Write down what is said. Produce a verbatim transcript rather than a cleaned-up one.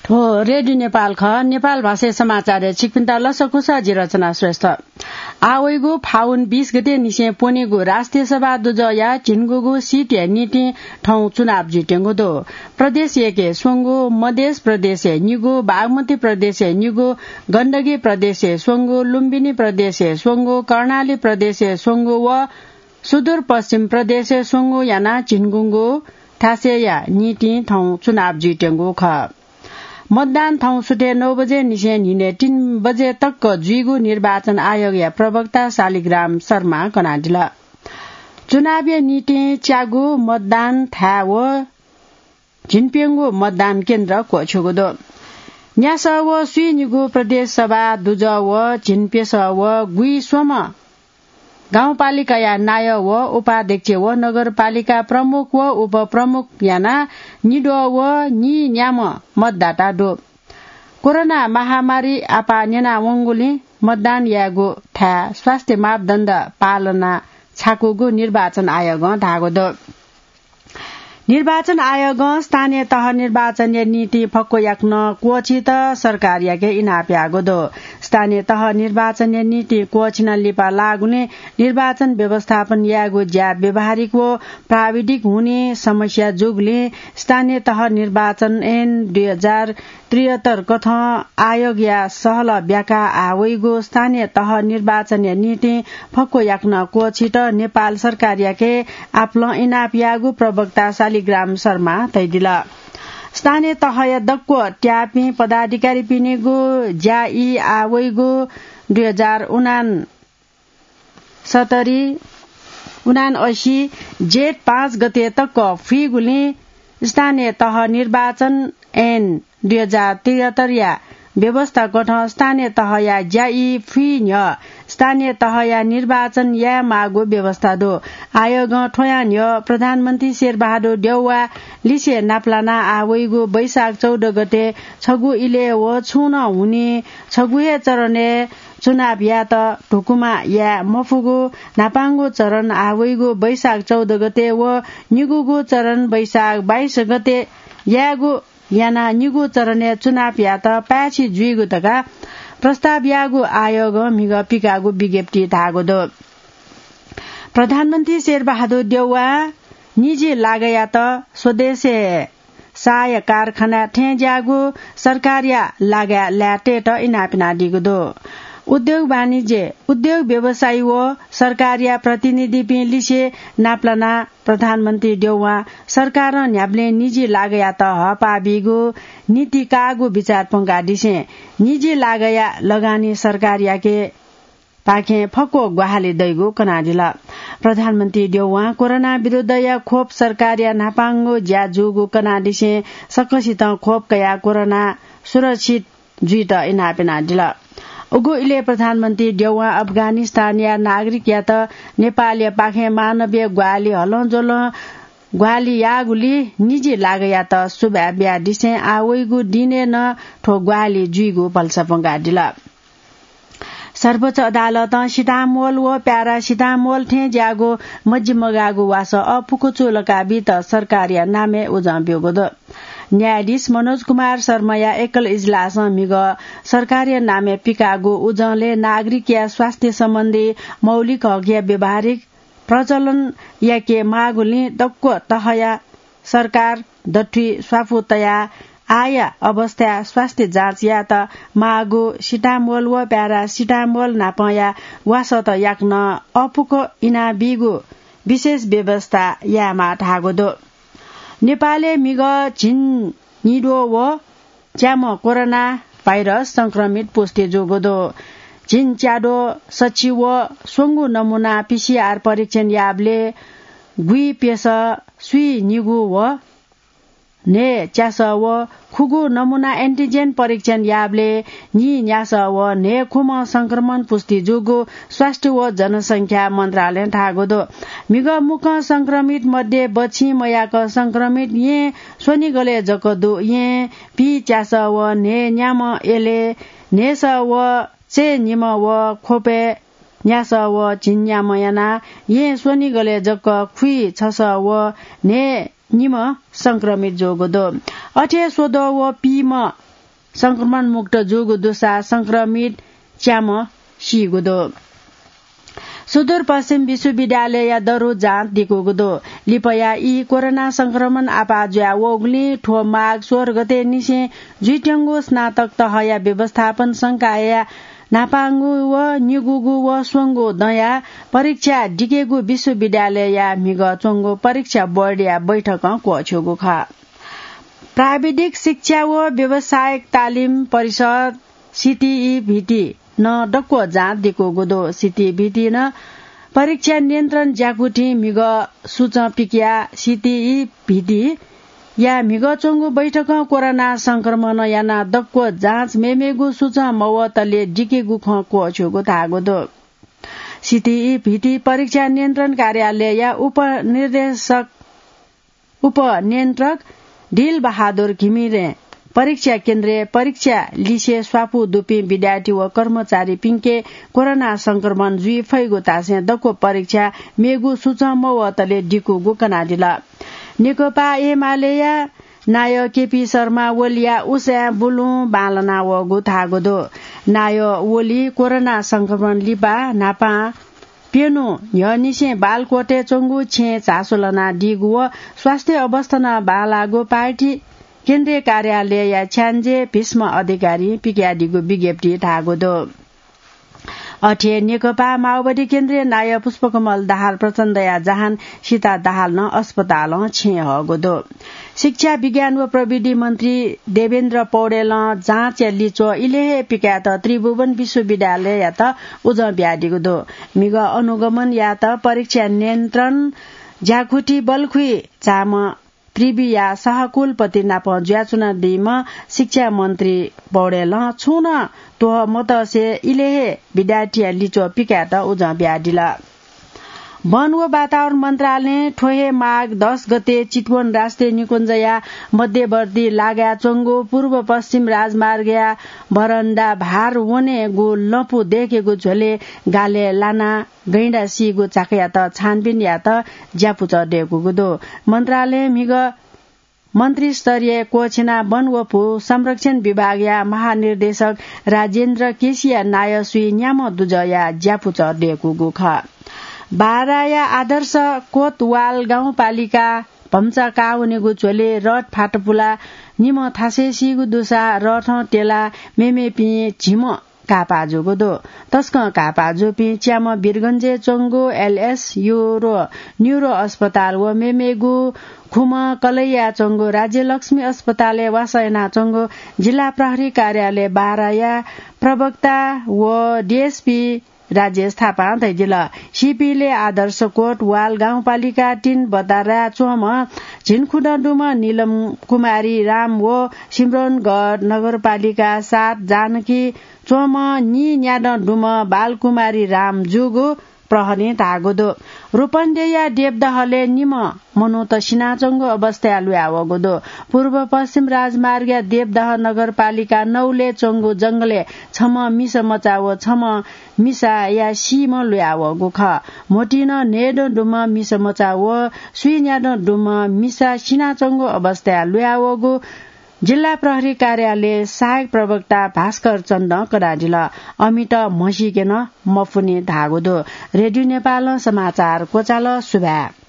थ्व रेडियो नेपाल खः। नेपाल भाषाय् समाचारय् छिकपिन्त लसकुस, जि रचना श्रेष्ठ। आः वइगु फागुन बीस गते निसें प्वनेगु राष्ट्रिय सभा दुजःया झिंगुगू सीटया निंतिं थौं चुनाव जुइत्यंगु दु। प्रदेश एकय् स्वंगू, मधेस प्रदेशय् निगू, बागमती प्रदेशय् निगू, गण्डकी प्रदेशय् स्वंगू, लुम्बिनी प्रदेशय् स्वंगू, कर्णाली प्रदेशय् स्वंगू व सुदूरपश्चिम प्रदेशय् स्वंगू यानाः झिंगुगू थासय्‌या निंतिं थौं चुनाव जुइत्यंगु खः। मतदान थौं सुथय् नौ बजे निसें न्हिनय् तीन बजे तक जुइगु निर्वाचन आयोगया प्रवक्ता शालिग्राम शर्मां कनादिल। चुनावया निंतिं च्यागू मतदान थाय् व झिंप्यंगू मतदान केन्द्र क्वःछ्यूगु दु। न्यासः व स्वीनिगू प्रदेश सभा दुजः व झिंप्यसः व गुइस्वम्ह गाउँपालिकाया नायः व उपाध्यक्ष व नगरपालिका प्रमुख व उपप्रमुख यानाः निद्वः व नीन्याम्ह मतदाता दु। कोरोना महामारी आपाः न्यनावंगुलिं मतदान यायेगु थाय् स्वास्थ्य मापदण्ड पालना छाकूगु निर्वाचन आयोगं धाःगु दु। निर्वाचन आयोगं स्थानीय तह निर्वाचनया निंतिं फक्व याकनं क्वःछित सरकारयाके इनाप याःगु दु। स्थानीय तह निर्वाचनया निंतिं क्वःछिना लिपा लाःगुलिं निर्वाचन व्यवस्थापन यायेगु ज्या व्यावहारिक व प्राविधिक हुनिं समस्या जूगुलिं स्थानीय तह निर्वाचन ऐन दुई हजार त्रिहत्तर कथं आयोगया सहलह ब्याकाः आः वइगु स्थानीय तह निर्वाचनया निंतिं फक्व याकनं क्वःछित नेपाल सरकारयाके आपालं इनाप याःगु प्रवक्ता शालिग्राम शर्मां धयादिल। स्थानीय तहया दक्व त्याःपिं पदाधिकारीपिनिगु ज्या ई आः वइगु दुई हजार उनान सत्तरी, उनान्असी जेठ पाँच गते तक फुइगुलिं स्थानीय तह निर्वाचन ऐन दुई हजार त्रिहत्तरया व्यवस्था कथं स्थानीय तहया ज्या ई फुइ न्ह्यः स्थानीय तहया निर्वाचन यायेमाःगु व्यवस्था दु। आयोगं थ्वया न्ह्यः प्रधानमन्त्री शेरबहादुर देउवा लिसे नापलानाः आः वइगु वैशाख चौध गते छगू इलय् व छुं नं हुनिं छगू हे चरणय् चुनाव यायेत धुकुमा याये मफुगु न्हापांगु चरण आः वइगु वैशाख चौध गते व निगूगु चरण वैशाख बाइस गते यायेगु यानाः निगू चरणय् चुनाव यायेत पाय्छि जुइगु धकाः प्रस्ताव याःगु आयोगं म्हिगः पिकाःगु विज्ञप्तिइ धाःगु दु। प्रधानमन्त्री शेरबहादुर देउवा निजी लागःयात स्वदेशय् साया कारखाना थें ज्याःगु सरकारया लागःया ल्याः तयेत इनाप यानादीगु दु। उद्योग वाणिज्य, उद्योग व्यवसायी व सरकारया प्रतिनिधिपिं लिसे नापलानाः प्रधानमन्त्री देउवां सरकारं न्ह्याबलें निजी लागःयात हःपाः बीगु नीति काःगु बिचाः प्वंकादिसें निजी लागःया लगानी सरकारयाके पाखें फक्व ग्वाहालि दइगु कनादिल। प्रधानमन्त्री देउवां कोरोना विरुद्धया खोप सरकारया न्हापांगु ज्या जूगु कनादिसें सकसितं खोप कयाः कोरोना सुरक्षित जुइत इनाप यानादिल। उगु इलय् प्रधानमन्त्री देउवां अफगानिस्तानया नागरिकयात नेपालया पाखें मानवीय ग्वाहालि हलंज्वलं ग्वाहालि याःगुलिं निजी लागःयात सुभाय् बियादिसें आः वइगु दिनय् नं थ्व ग्वाहालि जुइगु भलसा प्वंकादिल। सर्वोच्च अदालतं सिटामोल व प्यारासिटामोल थें ज्याःगु मजिमगाःगु वासः अःपुक चूलाका बीत सरकारया नामय् उजं ब्यूगु दु। न्यायाधीश मनोज कुमार शर्माया एकल इजलासं म्हिगः सरकारया नामय् पिकाःगु उजंलय् नागरिकया स्वास्थ्य सम्बन्धी मौलिक हकया व्यावहारिक प्रचलन याके माःगुलिं दक्व तहया सरकार दथुइ स्वापू तयाः आःया अवस्थाया स्वास्थ्य जाँच यायेत माःगु सिटामोल व प्यारासिटामोल नापंया वासःत याकनं अःपुक इनाबीगु विशेष व्यवस्था यायेमाः धाःगु दु। नेपालय् म्हिगः झिंनिद्वः व च्याम्ह कोरोना भाइरस संक्रमित पुष्टि जूगु दु। झिंच्याद्वः सछि व स्वंगू नमुना पीसीआर परीक्षण याःबलय् गुइप्यसः स्वीनिगू व न्हय्च्यासः व खुगू नमुना एन्टिजेन परीक्षण याःबलय् नीन्यासः व न्हय्खुम्ह संक्रमण पुष्टि जूगु स्वास्थ्य व जनसंख्या मन्त्रालयं धाःगु दु। म्हिगः मुक्कं संक्रमित मध्ये बछिं मयाक संक्रमित येँ स्वनिगलय् जक दु। येँ पीच्यासः व न्हय्न्याम्ह, एलय् न्हय्सः व चय्निम्ह व ख्वपय् न्यासः व झिंन्याम्ह यानाः येँ स्वनिगलय् जक खुइछसः व न्हय्निम्ह संक्रमित जूगु दु। अथे स्वद्वः व पीम्ह संक्रमण मुक्त जूगु दुसा संक्रमित च्याम्ह सीगु दु। सुदूरपश्चिम विश्वविद्यालयया दरु जाँच दिकूगु दु। लिपया ई कोरोना संक्रमण आपाः जुया वःगुलिं थ्व माघ सोह्र गते निसें जुइत्यंगु स्नातक तहया व्यवस्थापन संकायया न्हापांगु व निगूगु व स्वंगू दँया परीक्षा दिकेगु विश्वविद्यालयया म्हिगः च्वंगु परीक्षा बोर्डया बैठकं क्वःछ्यूगु खः। प्राविधिक शिक्षा व व्यावसायिक तालिम परिषद, सीटीईभीटी नं दक्व जाँच दिकूगु दु। सीटीईभीटी नं परीक्षा नियन्त्रण ज्याकुथिं म्हिगः सुचं पिकया सीटीईभीटी या म्हिगः च्वंगु बैठकं कोरोना संक्रमण यानाः दक्व जाँच मेमेगु सुचं मवतले दिकेगु खँ क्वःछ्यूगु धाःगु दु। सीटीईभीटी परीक्षा नियन्त्रण कार्यालयया उपनिर्देशक उपनियन्त्रक दिल बहादुर घिमिरें परीक्षा केन्द्रय् परीक्षा लिसे स्वापू दुपिं विद्यार्थी व कर्मचारीपिंके कोरोना संक्रमण जुइ फइगु धासें दक्व परीक्षा मेगु सुचं मवतले दिकूगु कनादिल। नेकपा एमालेया नायः केपी शर्मा ओलीया उसाँय् बुलुं बांलाना वःगु धाःगु दु। नायः ओली कोरोना संक्रमण लिपा न्हापां प्यन्हु न्ह्यःनिसें बालकोटय् च्वंगु छेँय् झासु लनादीगु व स्वास्थ्य अवस्था नं बांलाःगु पार्टी केन्द्रीय कार्यालयया छ्याञ्जे भीष्म अधिकारीं पिकयादीगु विज्ञप्तिइ धाःगु दु। अथे हे नेकपा माओवादी केन्द्रीय नायः पुष्पकमल दाहाल प्रचण्डया जहान सीता दाहाल नं अस्पतालं छेँय् हःगु दु। शिक्षा, विज्ञान व प्रविधि मन्त्री देवेन्द्र पौडेलं जाँचया लिच्वः इलय् हे पिकायेत त्रिभुवन विश्वविद्यालययात उजं बियादीगु दु। म्हिगः अनुगमन यायेत परीक्षा नियन्त्रण ज्याकुथि बलखुइ झाःम्ह त्रिविया सहकुलपति नाप जुयाच्वनादीम्ह शिक्षा मन्त्री पौडेलं छुं नं त्वः मतसे इलय् हे विद्यार्थीया लिच्वः पिकायेत उजं बियादिल। वन व वातावरण मन्त्रालयं थ्व हे माघ दस गते चितवन राष्ट्रिय निकुञ्जया मध्यवर्ती लागाय् च्वंगु पूर्व पश्चिम राजमार्गया बरण्डा भार वनेगु लँपु दय्केगु झ्वलय् गालय् लानाः गैंडा सीगु झाकायात छानबिन यायेत ज्यापुचः दय्कूगु दु। मन्त्रालयं म्हिगः मन्त्रीस्तरीय क्वःछिना वन व भू संरक्षण विभागया महानिर्देशक राजेन्द्र केसीया नायः स्वीन्याम्ह दुजःया ज्यापुचः दय्कूगु खः। बाराया आदर्श कोतवाल गाउँपालिका भम्चा काः वनेगु झ्वलय् रथ फातपुला निम्ह थासय् सीगु दुसा रथं त्यलाः मेमेपिं झिम्ह काःपाः जूगु दु। तसकं काःपाः जूपिं च्याम्ह वीरगञ्जय् च्वंगु एलएस न्युरो, न्युरो अस्पताल व मेमेगु खुम्ह कलैया च्वंगु राज्यलक्ष्मी अस्पतालय् वासः यानाच्वंगु जिल्ला प्रहरी कार्यालय बाराया प्रवक्ता व डीएसपी राजेश थापां धयादिल। सीपिंलय् आदर्श कोतवाल गाउँपालिका तीन बदाराय् च्वंम्ह झिंखुदँ दुम्ह नीलम कुमारी राम व सिम्रौनगढ नगरपालिका सात जानकी च्वंम्ह नीन्यादँ दुम्ह बालकुमारी राम जूगु प्रहरीं धाःगु दु। रूपन्देहीया देवदहलय् निम्ह मनूत सिनाच्वंगु अवस्थाय् लुयावःगु दु। पूर्व पश्चिम राजमार्गया देवदह नगरपालिका नौलय् च्वंगु जंगलय् छम्ह मिसा मचा व छम्ह मिसाया सीम्ह लुयावःगु खः। म्होतिं नं न्हय्दँ दुम्ह मिसा मचा व स्वीन्यादँ दुम्ह मिसा सिनाच्वंगु अवस्थाय् लुयावःगु जिल्ला प्रहरी कार्यालय सहायक प्रवक्ता भास्कर चन्दं कनादिल। अमित म्हसीके नं मफुनि धाःगु दु। रेडियो नेपालं समाचार क्वचाल। सुभाय्।